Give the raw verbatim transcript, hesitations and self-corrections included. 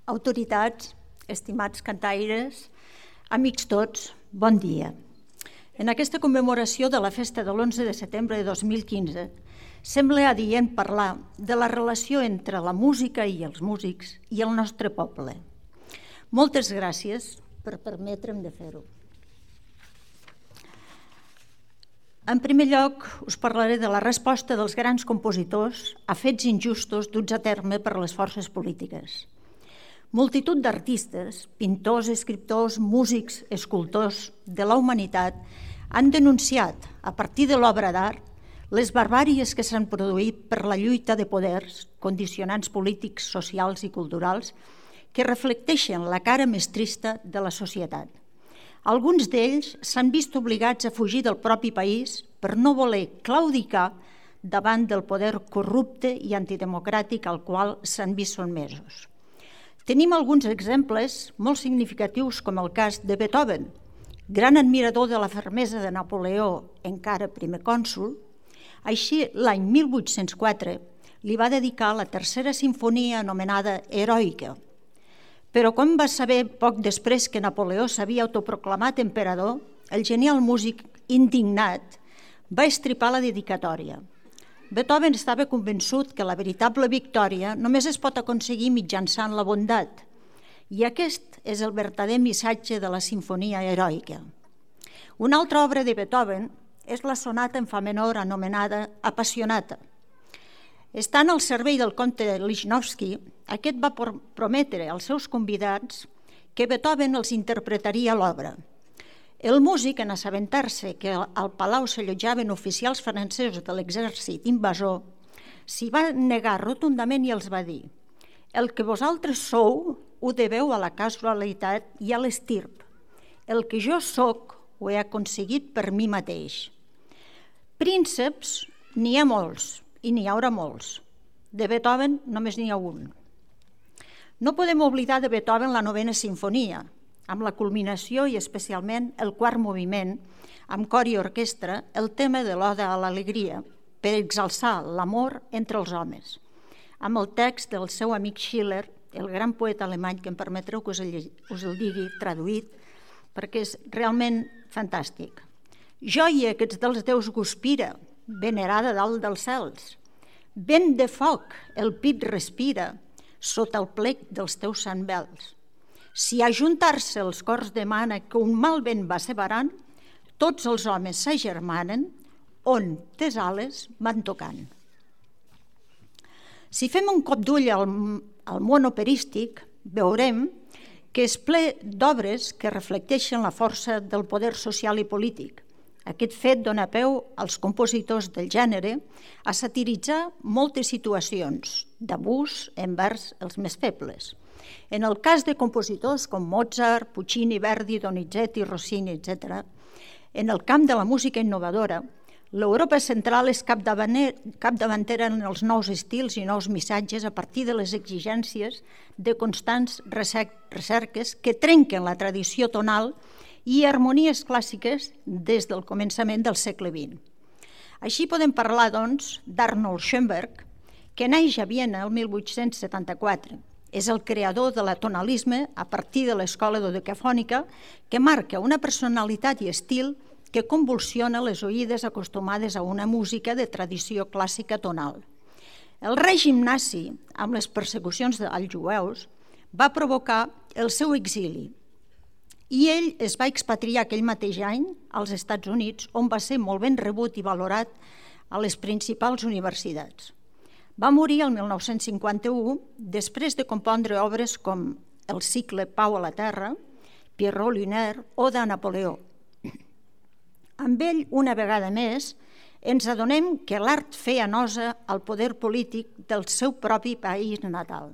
autoritats, estimats cantaires, amics tots, bon dia. En aquesta commemoració de la festa de l'onze de setembre de dos mil quinze sembla adient parlar de la relació entre la música i els músics i el nostre poble. Moltes gràcies per permetre'm de fer-ho. En primer lloc, us parlaré de la resposta dels grans compositors a fets injustos duts a terme per les forces polítiques. Multitud d'artistes, pintors, escriptors, músics, escultors de la humanitat han denunciat, a partir de l'obra d'art, les barbàries que s'han produït per la lluita de poders, condicionants polítics, socials i culturals que reflecteixen la cara més trista de la societat. Alguns d'ells s'han vist obligats a fugir del propi país per no voler claudicar davant del poder corrupte i antidemocràtic al qual s'han vist sotmesos. Tenim alguns exemples molt significatius, com el cas de Beethoven, gran admirador de la fermesa de Napoleó, encara primer cònsol. Així, l'any mil vuit-cents quatre li va dedicar la tercera simfonia anomenada Heroica. Però quan va saber poc després que Napoleó s'havia autoproclamat emperador, el genial músic indignat va estripar la dedicatòria. Beethoven estava convençut que la veritable victòria només es pot aconseguir mitjançant la bondat, i aquest és el vertader missatge de la sinfonia heroica. Una altra obra de Beethoven és la sonata en fa menor anomenada Appassionata. Estant al servei del comte Lichnowsky, aquest va prometre als seus convidats que Beethoven els interpretaria l'obra. El músic, en assabentar-se que al palau s'allotjaven oficials francesos de l'exèrcit invasor, s'hi va negar rotundament i els va dir: «El que vosaltres sou ho deveu a la casualitat i a l'estirp. El que jo soc ho he aconseguit per mi mateix». Prínceps n'hi ha molts i n'hi haurà molts. De Beethoven només n'hi ha un. No podem oblidar de Beethoven la novena sinfonia, amb la culminació i especialment el quart moviment, amb cor i orquestra, el tema de l'Oda a l'alegria, per exalçar l'amor entre els homes, amb el text del seu amic Schiller, el gran poeta alemany, que em permetreu que us el, us el digui traduït, perquè és realment fantàstic. «Joia que ets dels déus guspira, venerada dalt dels cels. Vent de foc, el pit respira, sota el plec dels teus santbels. Si a juntar-se els cors demana que un mal vent va separant, tots els homes s'agermanen, on tes ales van tocant». Si fem un cop d'ull al, al món operístic, veurem que és ple d'obres que reflecteixen la força del poder social i polític. Aquest fet dona peu als compositors del gènere a satiritzar moltes situacions d'abús envers els més febles. En el cas de compositors com Mozart, Puccini, Verdi, Donizetti, Rossini, etcètera, en el camp de la música innovadora, l'Europa central és capdavantera en els nous estils i nous missatges a partir de les exigències de constants recerques que trenquen la tradició tonal i harmonies clàssiques des del començament del segle vint. Així podem parlar, doncs, d'Arnold Schoenberg, que neix a Viena el mil vuit-cents setanta-quatre. És el creador de la tonalisme a partir de l'escola dodecafònica, que marca una personalitat i estil que convulsiona les oïdes acostumades a una música de tradició clàssica tonal. El règim nazi, amb les persecucions als jueus, va provocar el seu exili i ell es va expatriar aquell mateix any als Estats Units, on va ser molt ben rebut i valorat a les principals universitats. Va morir el mil nou-cents cinquanta-u després de compondre obres com el cicle Pau a la Terra, Pierrot Lunaire o de Napoleó. Amb ell, una vegada més, ens adonem que l'art feia nosa al poder polític del seu propi país natal.